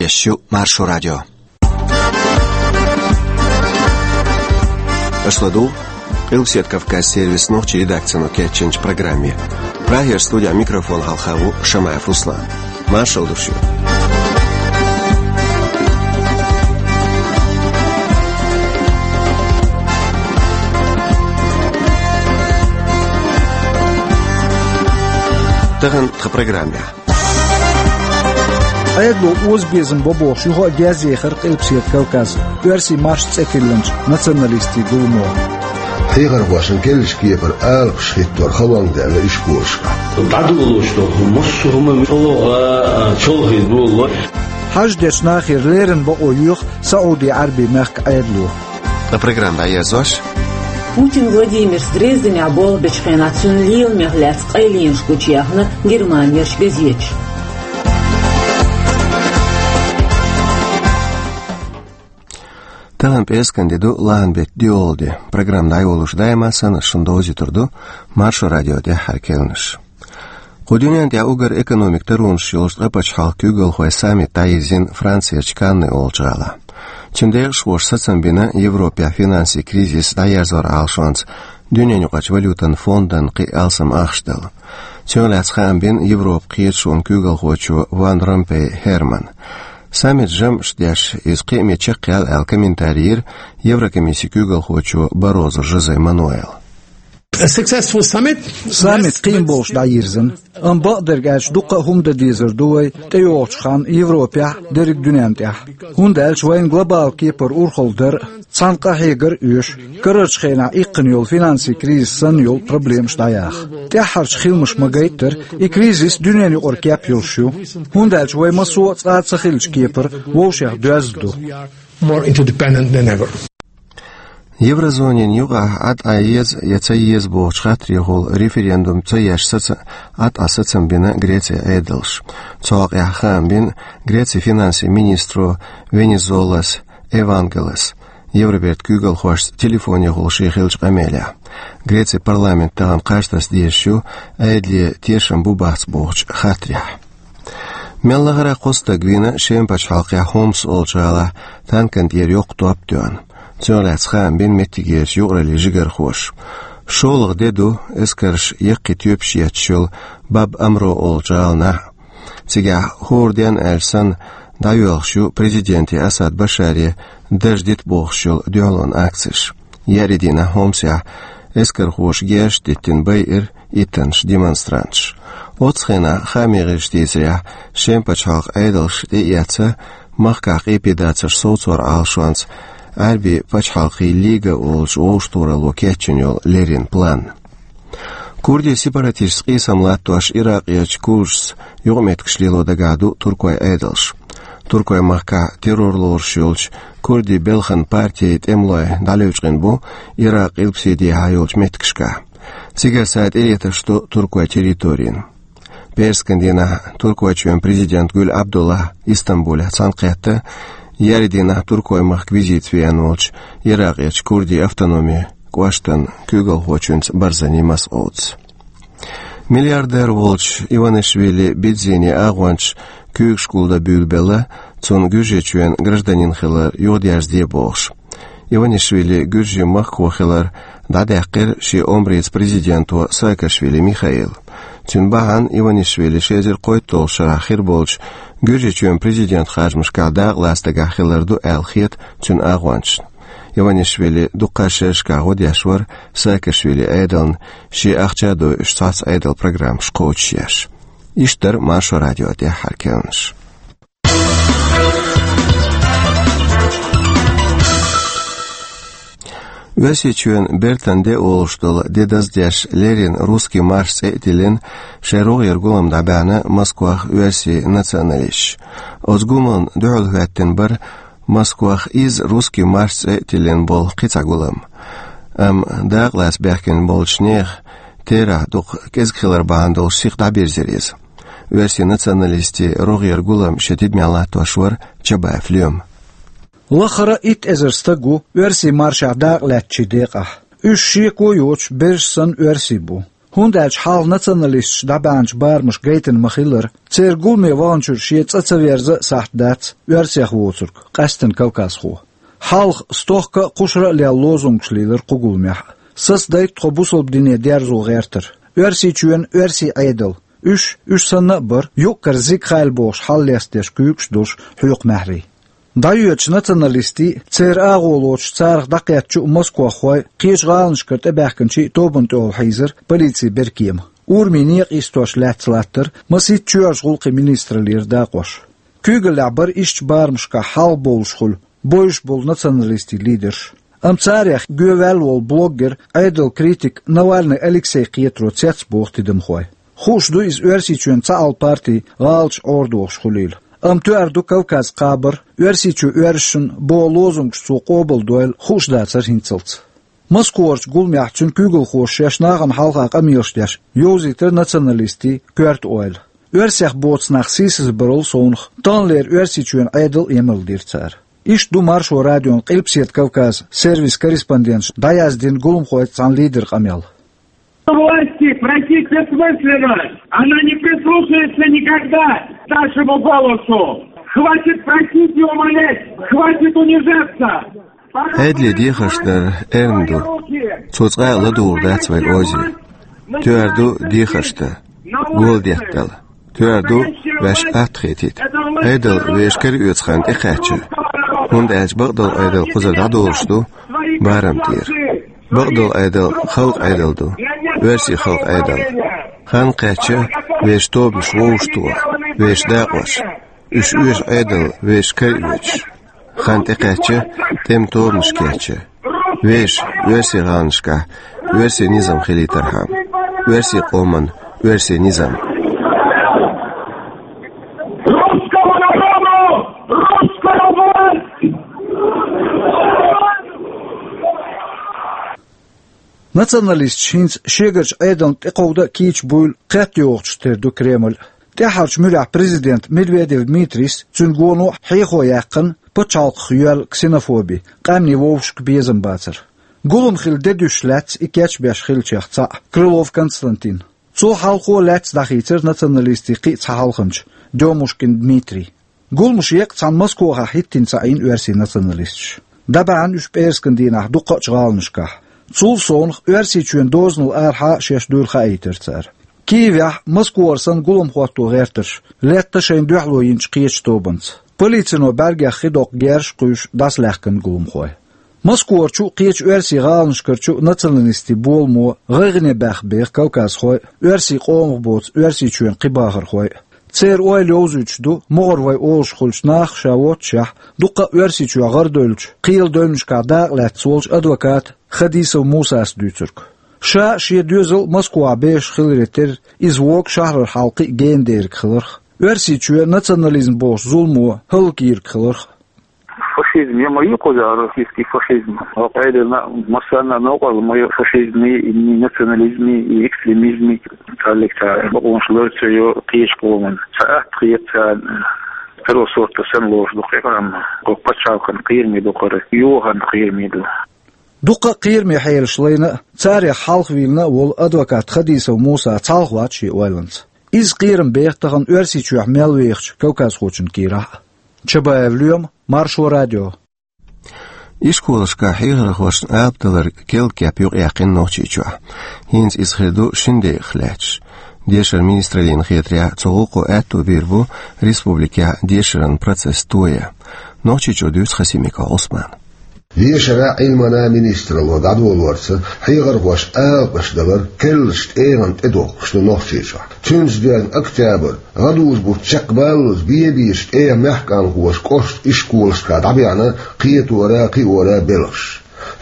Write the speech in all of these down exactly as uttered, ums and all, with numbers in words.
Шу Маршо радио. Аша ладугӀу Къилбаседа Кавказ сервисан нохчийн редакцино кечйинчу программе. Прагера студехь микрофон хьалха ву Шамаев Руслан. Маршалла ду шуьга. Тахана тхан программехь. Ӏедало озабезам бо бохуш, юха а герз ехира Къилбаседа Кавказ, оьрсийн маршан цӀе тиллинчу националистийн гуламо. Хьехархошна керлачу кепара алапаш хӀиттор халонга даьлла уьш корашкахь. ДӀадолалуш долу массо а хӀума чӀогӀа чолхе долало. Хьаж дечу нахера леррина бакъо йоьху СаӀуди-Ӏаьрбийн мехкан Ӏедало. Ткъа программа дӀаерзош. Путин Владимирс Дрезденехь болх бечу хенахь цуьнан леламех лаьцна къайленаш гучуяьхна Германерчу газеташа. Тахана пӀераскан де ду, лахьан беттан доьалгӀа де. Программа дӀайолош даима санна шуна довзуьйтур ду Маршо радион тӀаьххьара керланаш. Кху дуьнен тӀехь уггар экономикан таронаш йолчу ткъа пачхьалкхан куьйгалхойн саммит дӀайирзина Францерчу Канны олучу гӀалахь. Цуьнан декъашхоша сацам бина Европехь финансийн кризис дӀаерзоран Ӏалашонца дуьненаюкъарчу валютан фондан кхин а алсам ахча дала. Цунах лаьцна хаам бина Европан кхеташонан куьйгалхочо Ван Ромпей Хермана. Саммит жамӀаш деш, иза кхиаме чекхъяьлла аьлла комментари йира Еврокомиссин куьйгалхочо Баррозу Жозе Мануэла. A successful summit. Саммит кхин а болуш дӀайирзина. Амма бакъдерг аьлча, дуккха а хӀума дан дезар ду вай тӀейогӀучу ханна Европехь а, дерриг дуьнен тӀехь а. ХӀунда аьлча вайна глобалан кепара урхалла дар а, цхьана къахьегар а оьшу, карарчу хенахь иккхина йолу финансийн кризис санна йолу проблемаш дӀаяха. ТӀаьххьарчу хиламаша ма-гайттара, и кризис дуьненаюкъара кеп йолуш ю. ХӀунда аьлча вай массо а цкъа а ца хиллачу кепара вовшех доьзна ду. More interdependent than ever. Еврозонин юкъахь Ӏад Ӏан еза я ца еза бохучу хаттарехула референдум ца еш саца-, Ӏад Ӏан сацам бина Грецин Ӏедалша. Цу хьокъехь хаам бина Грецин финансийн министро Венизолас Евангелос Евробертан куьйгалхошца телефонехула шен хиллачу къамелехь. Грецин парламент тахана кхаж таса дезаш ю, Ӏедале тешам бу-бац бохучу хаттарехь. Мел лахара кхо стаг вийна Шеман пачхьалкхехь Хомс олучу гӀалахь танкана тӀера йоккха топ тоьхна. Цунах лаьцна хаам бина меттигерчу юкъараллин жигархоша. ШолгӀа де ду эскарша яккхий тоьпаш етташ йолу Баб Амро олучу гӀаланахь. Цигахь хӀора денна аьлча санна дӀайоьлхуш ю президенте Асад Башаре дарж дита бохуш йолу дуьхьалонан акцеш. Еарин дийнахь Хомсехь эскархоша герзаш а диттина байира иттаннаш демонстранташ. Оццу хенахь, хаамийн гӀирсаша дийцарехь, Шеман пачхьалкхан Ӏедалша тӀеэцна махкахь къепедацарш совцоран Ӏалашонца Ӏаьрбийн пачхьалкхийн Лига олучу вовшахтохаралло кечйина йолу леррина план. Курдийн сепаратисташца къийсам латтош Иракъерчу курдашца юкъаметтигаш лело дагахь ду туркойн Ӏедалш. Туркойн махкахь террор лоруш йолчу курдийн белхан партин тӀемалой дӀалевчкъина бу Иракъан илпаседехьа йолчу меттигашкахь. Цигара цара тӀелеташ ду туркойн территорина. ПӀераскан дийнахь Туркойчоьнан президент Гуьл Абдуллахь Истамбулехь цхьаьнакхетта, еарин дийнахь Туркойн махка визитца веана волчу Иракъерчу курдийн автономин кӀоштан куьйгалхочуьнца Барзани Масъудца. Миллиардер волчу Иванишвили Бидзини агӀончаш куьйгаш гулдан буьйлабелла, цунна Гуьржийчоьнан гражданин хилар юхадерзаде бохуш. Иванишвили Гуьржийн махко хилар дӀадаьккхира шен омрица президенто Саакашвили Михаила. Цуьнан бахьана Иванишвили ши эзар кхойтталгӀачу шарахь хир болчу Гуьржийчоьнан президентан харжамашкахь дакъалаца дагахь хилар ду аьлла хета цуьнан агӀончашна. Иванишвили дуккха а шерашкахь гӀо деш вара Саакашвилин Ӏедална, шен ахча а дойуш, цхьацца Ӏедалан программаш кхочушъеш. Иштта дара Маршо радион тӀаьххьара керланаш. Оьрсийчоьнан бертан де олуш долу де даздеш леррина «Русский марш» цӀе а тиллина, шайн рогӀера гулам дӀабаьхьна Москвахь оьрсийн националисташа. Оцу гуламна дуьхьал хӀоьттина бара Москвахь иза «Русский марш» цӀе а тиллина болу кхин цхьа гулам. Амма дакъалаца баьхкина болчу нехан терахь дукха кӀезиг хилар бахьана долуш сиха дӀабирзира иза. Оьрсийн националистийн рогӀера гулам шен тидамехь латтош вара Чабаев Лема. Лахара итт эзар стаг ву оьрсийн маршехь дакъалаьцначийн декъахь. Уьш шеко а йоцуш, бераш санна оьрсий бу. ХӀунда аьлча хьалха националисташ дӀабаьхьначу барамаша гайтина ма-хиллара, церан гуламе ваханчуьра шен цӀа ца верза а сахьт дац оьрсех воцург, къаьсттина кавказхо. Хьалха стохка а, кхушара а лелла лозунгаш лийлира кху гуламехь а. Сацадайта тхо бусалба дине дерзо гӀертар. Оьрсийчоьнан, оьрсийн Ӏедалан. Уьш, уьш санна а бара, юкъ-кара зиг хайла бохуш хьаллестадеш куьйгаш а долуш хьоькху маьхьарий. ДӀайоьдучу националистийн, церан агӀо лоцуш царах дӀакхеттачу а москвахойн, кхечу гӀаланашкара тӀебаьхкинчийн тобанна тӀехула хьийзара полицин беркема. Урамийн некъа йистош лаьцна латтара масийтта чоьхьарчу гӀуллакхийн министраллера дакъош. Куьйгаллехь бара ишттачу барамашкахь хьалха бовлуш хуьлу, бовзуш болу националистийн лидерш. Амма царех гоьваьлла волу блогер, Ӏедалан критик Навальный Алексей кхетаро цецбоху тидамхойн. Хууш ду иза Оьрсийчоьнан цхьаалла партин гӀалаташ Ӏорадохуш хуьлийла. Амма тоьар ду Кавказ кхабар, Оьрсийчоь оьрсашна боху лозунгаш цо къобалдойла хууш дацара хӀинццалц. Москварчу гуламехь цуьнан куьйгалхоша шаьш нахана хьалха къамелаш деш йовзийтара националистийн коьрта ойла. Оьрсех боцу нах сийсазбарал совнах, таханлера Оьрсийчоьнан Ӏедал а емалдира цара. Иштта ду Маршо радион Къилбаседа Кавказ сервисан корреспонденташа дӀаяздина гуламхойн цхьана лидеран къамел. Власти просить бессмысленно. Она не прислушается никогда к нашему голосу. Хватит просить и умолять. Хватит унижаться. Пора Ӏедале дехарш дар эрна ду. Цо цкъа а ладугӀур дац вайн озе. Тоьар ду дехарш дан, гола деттал. Тоьар ду ваьш атта хетийта. Ӏедал вешан кара оьцу хан тӀекхаьчча, хӀунда аьлча бакъдолу Ӏедал кхузара дӀадолуш ду барам тӀера. Бакъдолу Ӏедал халкъан Ӏедал ду, оьрсийн халкъан Ӏедал. Хан кхаьчча, вешан тобанаш вовшахтоха, вешан дакъош. Уьш оьшу Ӏедал вешан кара оьцуш. Хан тӀекхаьчча, тӀеман тобанаш кечъян. Вешан, оьрсийн гӀаланашкахь, оьрсийн низам хилийтархьама. Оьрсийн къоман, оьрсийн низам. Русскому народу! Русскому народу! Националисташ хӀинца шегарчу Ӏедална тӀекховда а кийча буйла кхетта йогӀучух тера ду Кремль. ТӀаьххьарчу муьрехь президент Медведев Дмитрийс, цуьнан гоно а хьехо яьккхина пачхьалкхах йоьлла ксенофоби, къаьмнийн вовшашка безам бацар. Гулам хила де дуьсуш лаьцна и кечбеш хиллачех цхьаъ, Крылов Константин. Цул хьалхо а лаьцна дӀахийцира националистийн кхин а цхьа хьалханча, Дёмушкин Дмитрий. Гуламаш еккъа цхьана Москвахь хӀиттийна ца Ӏийна оьрсийн националисташ. ДӀабаьхьна уьш пӀераскан дийнахь дукхачу гӀаланашкахь. Цул совнах Оьрсийчоьнан дозанал арахьа а шаьш дуйла хаийтира цара. Киевехь, Москвара санна, гулам хӀотто гӀертарш летта шайна дуьхьало йинчу кхечу тобанца. Полицино бӀаьргех хи доккху герзаш а кхуьйсуш дӀасалаьхкина гуламхой. Москварчу а, кхечу оьрсийн гӀаланашкарчу а националистийн боламо гӀайгӀане баьхна беха кавказхой а, оьрсийн къомах боцу Оьрсийчоьнан кхин бахархой а. Церан ойла йовзуьйтуш ду, могӀара вай олуш хуьлучу наха ша воццушехь, дуккха а Оьрсийчохь гӀардевллачу, кхелан девнашкахь дакъа лаьцна волчу адвоката Хадисов Мусас дуьйцург. Ша а, шен доьзал а Москвахь бехаш хиларе терра, иза вогу шахьарара хьал кхин а гена дерг хиларх. Оьрсийчоь национализм бохучу зуламо хӀаллакйийриг хиларх. Фашизм, я ма ю кхузахь российский фашизм. Хьо къайдина массарна а новкъарло ма ю фашизмий, и национализмий, и экстремизмий. Цхьаллиг цхьа бакъонаш лар ца йо кхечу къоман. Ца атта хета царна. Второго сорта санна лоруш ду кхин а къам. Кху пачхьалкхан кхераме ду хӀара, юханна кхераме ду. Дуккха а кхераме хьелаш лайна а, царех хьалхавийлина а волу адвокат Хадисов Муса цхьалха вац шен ойланца. Иза кхерам беха тахана Оьрсийчохь мел вехачу кавказхочун кийрахь а. Чабаев Лоьма, Маршо радио. Ишколашкахь хьехархошна алапа далар керла кеп юкъаяьккхина Нохчийчохь. ХӀинца иза хир ду шина декъах лаьтташ. Дешаран министраллина хетарехь, цу гӀуллакхо аьтто бийр бу республикехь дешаран процесс тоян. Нохчийчуьра дуьйцу Хасимиков Ӏусмана. Дешаран а, Ӏилманан а министралло дӀадолорца, хьехархошна алапаш далар керлачу тӀегӀан тӀе доккхуш ду Нохчийчохь. Цуьнца доьзна октябрь, гӀадужу бутт чекхбаллалц бен-бен тӀегӀан мехкан хӀоьжуш кӀоштан ишколашкахь дӀабаьхьна кхетора а, кхиора а белхаш.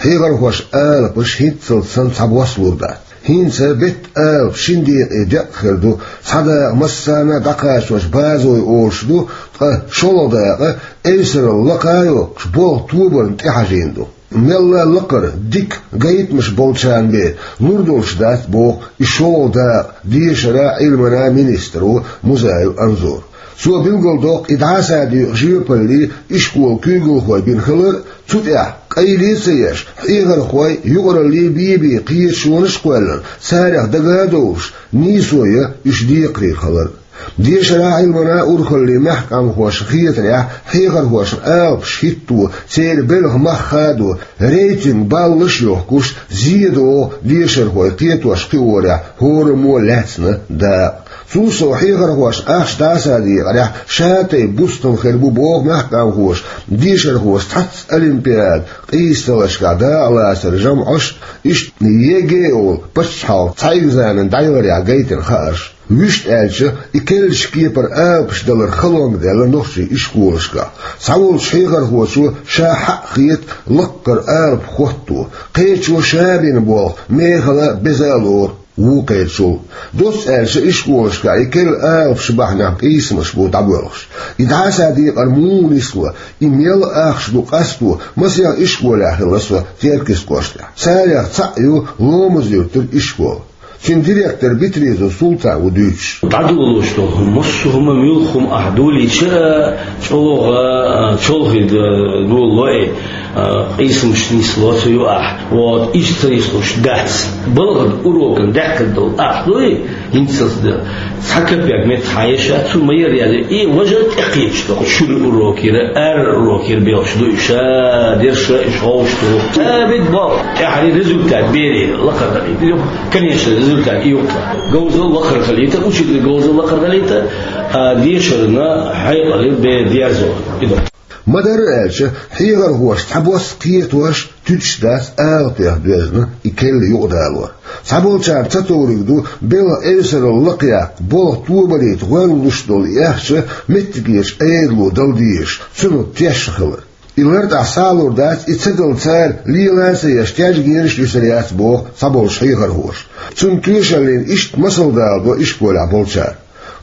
Хьехархошна алапаш хӀинццалц санна цхьабосса лур дац. ХӀинца беттан алапа шина декъе декъ хир ду, цхьа дакъа массарна а дӀакхачош базой олуш ду, ткъа шолгӀа дакъа эвсаралла лакха а йоккхуш, болх тобарна тӀехьажийна ду. Мелла а лакхара, дика гайтамаш болчарна бен лур долуш дац, боху и шолгӀа дакъа дешаран а, Ӏилманан а министро Музаев Анзора. Цо билгалдоккху и дӀасадоькъу жоьпалле ишколан куьйгалхой бина хилар а, цу тӀехь, къайле а ца еш, хьехархой юкъаралле бен-бен кхеташонаш а кхоьллина, царах дага а довлуш, нийсо ян уьш декхарийра хилар а. Дешаран, Ӏилманан урхаллин мехкан къамелхошна хетарехь, хьехархошна алапаш хӀитто, церан белхан мах хадо, рейтинг баллаш а йохкуш, зе догӀу дешархой кхетош-кхиорехь хӀораммо лаьцна дакъа. Цул сов, хьехархошна ахча дӀасадекъарехь, шатайпа бустам хир бу боху мехкан къамелхоша, дешархоша цхьацца олимпиада, къийсаллашкахь дакъалацаран жамӀаш а, иштта ЕГЭ олу паччахьалкхан цхьа экзамен дӀаяларехь гайтина хаарш. Вуьшта аьлча, и керлачу кепара алапаш далар халонга даьлла нохчийн ишколашкахь. Цхьаволчу хьехархочо ша хьаъ хета лаккхара алапа хӀотто, кхечо ша бина болх мехала а, беза а лору, вукхечул. Доцца аьлча, ишколашкахь и керла алапаш бахьанехь къийсамаш бу дӀабоьлхуш. И дӀасадекъар муха нисло, и мел ахча ду къасто, масех ишколехь хилла со Теркйистан кӀоштахь. Царех цхьаъ ю Ломаз-Юьртара ишкол. Цуьнан директор Битризов Султан ву дуьйцуш. ДӀадолош долу хӀума, массо а хӀума, муьлхха хӀума ахь долийча а, чӀогӀа, а, чолхе д-, долало и, а, къийсамаш нисло цу юкъахь. Вот, иштта ца нислуш дац. Балхана урокан даьхкина долу ахь дуй, хӀинцалц дан. Цхьа капек меттахь хьан еш а, цу ма яра яьлла, и важа тӀекхеташ ду. Шуьра урокера, ара урокера белхаш ду уьш, а, дерша уьш ховш ду. Сабит боху, тӀаьхьарий результат берий лакхара далийта. Конечно, результат и юккъе. Говзал лакхара хилийта, учитель говзал лакхара хилийта, а, дешарна хьекъале бен дерзо. И ду. Ма-дарра аьлча, хьехархоша цхьабосса кхетош, туьдуш дац алапех доьзна и керла юкъадалор. Цхьаболчарна ца товриг ду, белхан эвсаралла лакхаяккха, болх тобанийта гӀоьрта луш долу и ахча меттигерчу Ӏедало дала дезаш, цунах тешна хилар. И лартӀехь схьалур дац, и ца дала цара лела а ца еш, тешнабераш а юьсур яц, боху цхьаболчу хьехархоша. Цунна тоьшаллина иштта масал даладо ишколехь болчара.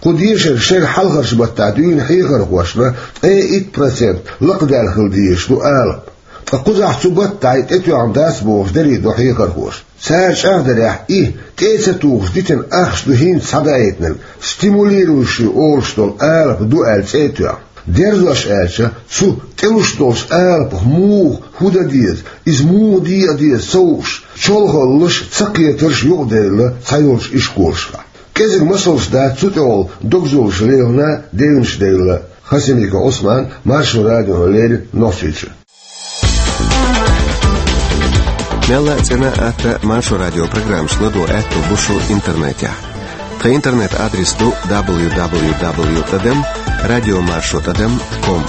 Кху дешаран шеран хьалхарчу баттахь дуьйна хьехархошна ткъе итт процент лакхадаьлла хила дезаш ду алапа. Ткъа кхузахь цу баттахь и тӀетоьхна дац бохуш дарий до хьехархоша. Цара чӀагӀдарехь, и, тӀе а ца тухуш, дитина ахча ду хӀинца схьадаийтинарг, стимулирующий олуш долу алапа ду аьлла цӀе а тоьхна. Дерзош аьлча, цу тӀелуш долчу алапах муха, хӀун дан деза, иза муха декъа деза ца хууш, чолхаллаш, цакхетарш юкъаделла цхьайолчу ишколашкахь. КӀезиг масалш дац цу тӀехула догзаллаш лелхина, девнаш девлла. Хасимиков Ӏусман, Маршо радиона леррина, Нохчийчуьра. Мелла а цӀена а, атта а Маршо радион программаш ладогӀа аьтто бу шун интернетехь. Тхан интернет-адрес ду дабл ю дабл ю дабл ю тӀадам радио маршо тӀадам ком.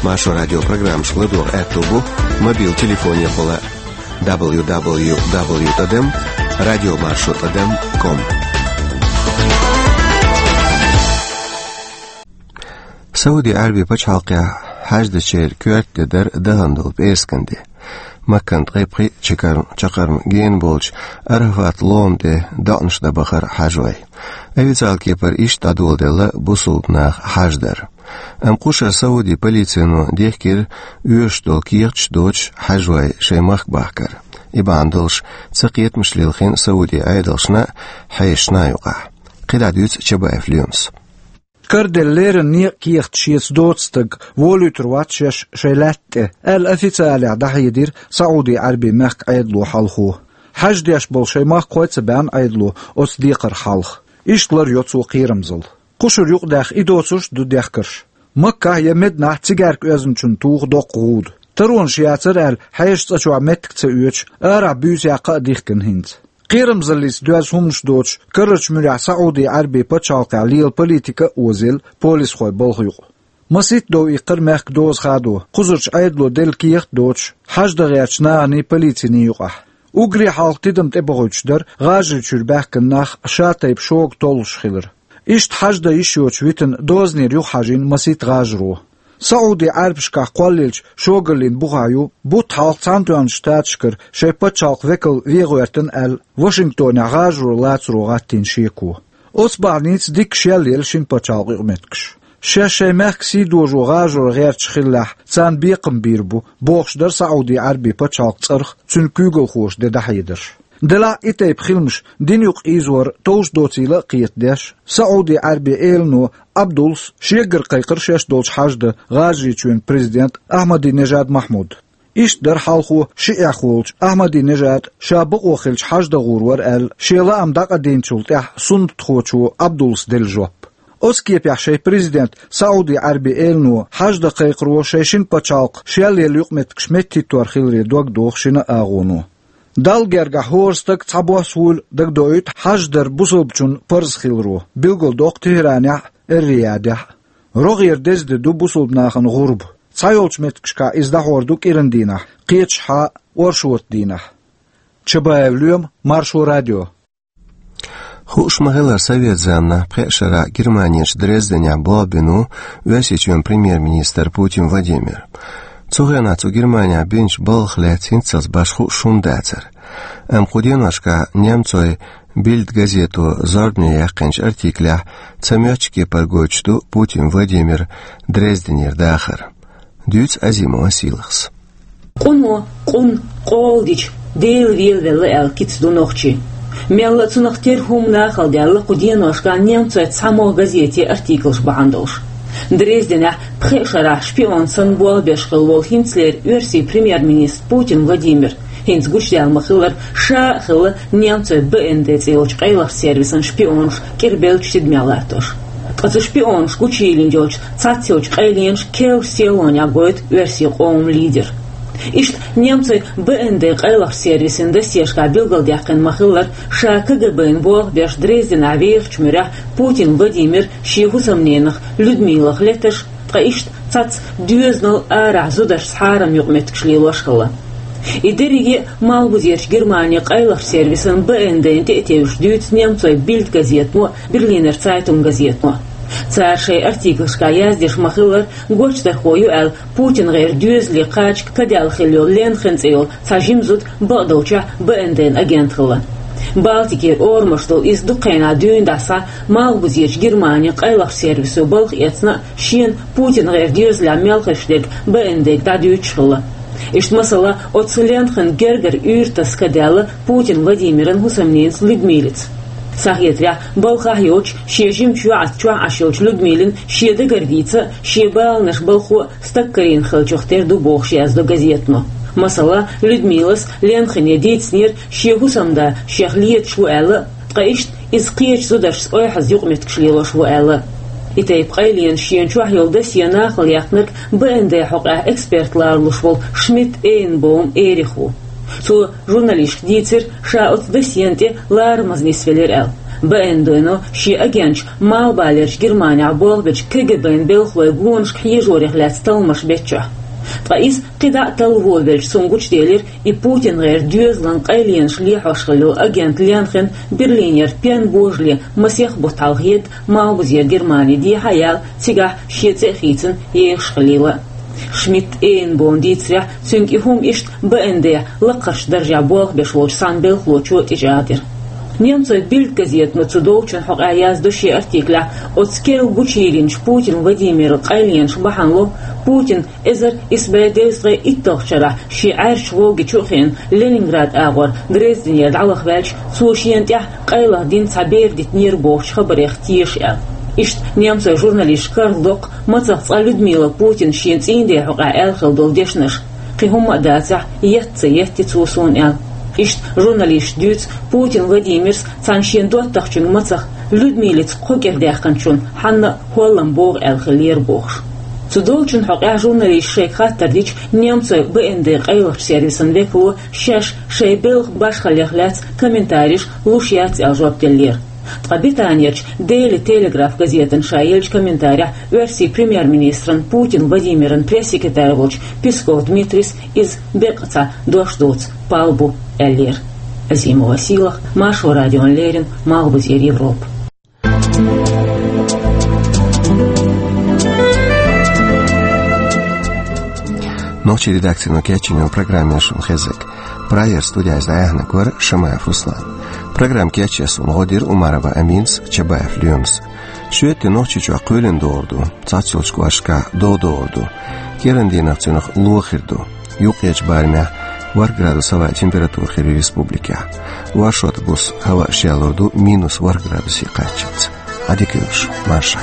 Маршо радион программаш ладогӀа аьтто бу мобил телефонехула дабл ю дабл ю дабл ю тӀадам радио маршо тӀадам ком. Сауди Ӏаьрбийн пачхьалкхехь хьаьждечеран коьрта де дара дахана долу пӀераскан де. Маккана ткъе пхи чакарм-, чакарма гена болчу Арафат лома тӀе доӀанаш дан бахара хьаьжой. Официалан кепара иштта дӀадоладелла бусулба наха хьаьждар. Амма кхушара Саудин полицино дехкира оьшуш долу кехаташ доцуш хьаьжой шайн махка бахкар. И бахьана долуш цакхетамаш лилхина Саудин Ӏедалшна а, хьешашна а юкъахь. КхидӀа дуьйцу Чабаев Лемас. Караделла леррина некъан кехат шеца доцу стаг волуьйтур вац шаьш шайн лаьтта тӀе, аьлла официалехь дӀахьедира Саудий Ӏаьрбийн мехкан Ӏедало хьалхо. Хьаьж деш болу шайн махкахой а ца баьхна Ӏедало оцу декхарх хьалха. Иштта лар йо цо кхерамзалла. Кхушара юкъадахка и доцурш а ду дехкарш. Маккахь я Мединахь цигаьрка оьзначунна туху доккха гӀуда. Таронаш яцара аьлла, хьешан цӀа чохь меттиг ца оьцуш, арахь буьйса яккха а дихкина хӀинца. Кхерамзаллица доьзна хӀуманаш доцуш, карарчу муьрехь Саудий Ӏаьрбийн пачхьалкхехь лела политика а озийла полисхойн балха юкъа. Масийтта дов иккхира мехкан доза хадо, кхузарчу Ӏедало делла кехат а доцуш, хьаьж дан гӀертачу наханий, полициний юкъахь. Уггаре хьалха тидам тӀебохуьйтуш дара ГӀажарийчуьра баьхкина нах шатайпа шога толлуш хилар. Иштта хьаьж дан йиш йоцуш витина дозанера юхахьажийна масийтта гӀажаро. Саудий Ӏаьрбашкахь кхоллаеллачу шогаллин бухахь ю, бутт хьалха Цхьаьнатоьхначу Штаташкара шайн пачхьалкхан векал вен гӀоьртина аьлла, Вашингтонехь гӀажаро лацаро гӀаттийна шеко. Оцу бахьаница дикка шелъелла шина пачхьалкхан юкъаметтигаш. Шаьш шайн мехкан сий дожо гӀажаро гӀерташ хиллехь, царна бекхам бийр бу, бохуш дара Саудий Ӏаьрбийн пачхьалкхан цӀарах цуьнан куьйгалхоша де дӀахьедарш. Делахь а и тайпа хиламаш дин юкъа ийзор товш доцийла а кхетадеш, СаӀуди-Ӏаьрбийн элано Ӏабдуллас шегара кхайкхар шоаш долчу хьаж дан ГӀажарийчоьнан президент Ахьмадинежад Махьмуда. Иштта дара хьалхо шиӀех волчу Ахьмадинежада ша бакъо хилча хьаж дан гӀур вара аьлла, шен лаам дӀакъадийначул тӀаьхьа суннатхочо Ӏабдуллас делла жоп. Оцу кепехь шайн президент СаӀуди-Ӏаьрбийн элано хьаж дан кхайкхаро шайн шина пачхьалкх шел елла юкъаметтигаш меттахӀиттор хиларе дог доху шина а агӀоно. Далла гергахь хӀора стаг цхьабосса вуйла дагадоуьйту хьаж дар бусалбачунна парз хиларо, билгалдоккху ТехӀранехь а, Эр-Риядехь а. РогӀера деза де ду бусалба нахана гӀурба. Цхьайолчу меттигашкахь иза дӀахьор ду кӀиран дийнахь, кхечахьа оршотан дийнахь. Чабаев Лоьма, Маршо радио. Хууш ма-хиллара, совет заманахь пхеа шарахь Германерчу Дрезденехь болх бина ву Оьрсийчоьнан премьер-министр Путин Владимир. Цу хенахь цо Германехь бинчу балхах лаьцна хӀинццалц башха хууш хӀума дацара. Амма кху деношкахь немцойн Бильд газето зорбане яьккхинчу артиклехь цхьа моьттуш кепара гойтуш ду Путин Владимиран Дрезденера дахар. Дуьйцу Азимова Сийлахьас. Къуно, къун, къола дича, Дела велавелла аьлла кица ду нохчийн. Мелла а цунах тера хӀума нахала даьлла кху деношкахь немцойн цхьамогӀа газетан артиклаш бахьана долуш. Дрезденехь пхеа шарахь шпион санна болх беш хилла волу хӀинцалера оьрсийн премьер-министр Путин Владимир, хӀинца гучудаьлла ма-хиллара, ша а хилла немцойн Б Н Д цӀе йолчу къайлахчу сервисан шпионаш кӀирбеллачу тидамехь латтош. Ткъа цу шпионаша гучуйиллина йолчу цхьаццайолчу къайленаша керлачу сийлахьехь гойту оьрсийн къоман лидер. Иштта немцойн Б Н Д къайлахчу сервисан досьешкахь билгалдаьккхина ма-хиллара, ша К Г Б-н болх беш Дрезденехь вехачу муьрехь Путин Владимир шен хӀусамненах Людмилах леташ, ткъа иштта цхьацца доьзалан арахь зударшца хьарам юкъаметтигаш лелош хилла. И дерриге а Малхбузерчу Германин къайлахчу сервисан Б Н Д-на тӀе а тевжаш дуьйцу немцойн Бильд газетано а, Берлинер Цайтунг газетано а. Цара шайн артиклашкахь яздеш ма-хиллара, гочдархо ю аьлла Путингера доьзале кхача кадаьлла хилла йолу Ленхен цӀе йолу цхьа жима зуда бакъдолчохь Б Н Д-н агент хилла. Балтикера орамаш долу иза дукха хенахь дуьйна дӀасхьа Малхбузерчу Германин къайлахчу сервисо балха эцна а, шена Путингера доьзалехь мел хезаш дерг Б Н Д-га дӀадуьйцуш хилла. Иштта, масала, оцу Ленхенан гергара уьйр таса кадаьлла Путин Владимиран хӀусамненас Людмилица. Схьахетарехь, балхахь йоцуш, шен жимачу йоӀаца чохь Ӏаш йолчу Людмилина шен дагара дийца а, шен баланаш балхо а стаг карийна хиллачух тера ду бохуш яздо газетано. Масала, Людмилас Ленхене дийцинера шен хӀусамда шех леташ ву аьлла а, ткъа иштта иза кхечу зударшца ойхьаза юкъаметтигаш лелош ву аьлла а. И тайпа къайленаш шена чохь йолу досье нахала яьккхинарг Б Н Д хьокъехь эксперт ларалуш волу Шмидт Эйнбоум Эрих ву. Цо журналисташка дийцира, ша оцу досьена тӀе ларамаза нисвелира аьлла, Б Н Д-но шен агенташ Малхбалерчу Германехь болх бечу К Г Б-н белхалойн гонашка хьежорех лаьцна талламаш бечохь. Ткъа иза кхидӀа а талла волавелча, цунна гучуделира и Путингера доьзалан къайленаш лехьош хилла йолу агент Ленхен Берлинера пен божале масех бутт хьалха едда Малхбузера Германи дехьа а яьлла, цигахь шен цӀе а хийцина ехаш хилийла. Шмидт Эйнбоумна дийцарехь, цуьнга и хӀума иштта Б Н Д-хь лакхарчу даржехь болх беш волчу цхьана белхалочо а тӀечӀагӀдира. Немцойн Бильд газетано цу долчун хьокъехь яздо шен артиклехь, оцу керла гучуйиллинчу Путин Владимиран къайленаш бахьана ло, Путин эзар исс бӀе девзткъе итталгӀачу шарахь шен Ӏаьржачу Волгичу а хиъна, Ленинград агӀор Дрезденера дӀалахваьлча, цо шена тӀехь къайлаха дина цхьа бер дитинера бохучу хабарех теша аьлла. Иштта немцойн журналисташа карладоккху, мацах цкъа Людмила Путина шен цӀийнан ден хьокъехь аьлла хилла долу дешнаш. Кхин хӀумма а дацахь, етта ца етти цо суна аьлла. Иштта журналисташа дуьйцу, Путин Владимирс цхьана шен доттагӀчуьнга мацах Людмилица кхо кӀира даьккхинчунна хьанна а хӀоллам богӀу аьлла хиллера бохуш. Цу долчун хьокъехь журналисташа шайга хаттар дича, немцойн Б Н Д къайлахчу сервисан векало шаьш шайн белхан башхаллех лаьцна комментареш луш яц аьлла жоп деллера. Ткъа Британерчу Daily Telegraph газетана ша еллачу комментарехь оьрсийн премьер-министран Путин Владимиран пресс-секретарь волчу Песков Дмитрийс иза беккъа цхьа дош доцу пал бу аьллера. Азимова Сийлахь, Маршо радиона леррина, Малхбузера Европа. Нохчийн редакцино кечйина программа яра шуна хезнарг. Прагера студехь иза дӀаяьхьнарг вара Шамаев Руслан. Программа кечъеш суна гӀо дира Умарова Аминас, Чабаев Лоьмас. Шоьтан де Нохчийчохь кхоьлина догӀур ду, цхьацца йолчу кӀошташкахь дов догӀур ду. КӀиран дийнахь цунах ло хир ду. Юккъерчу барамехь ворхӀ градус хӀаваан температура хир ю республикехь. Оршот буса хӀаваъ шелур ду минус ворхӀ градусе кхаччалц. Ӏадика йойла шун, марша.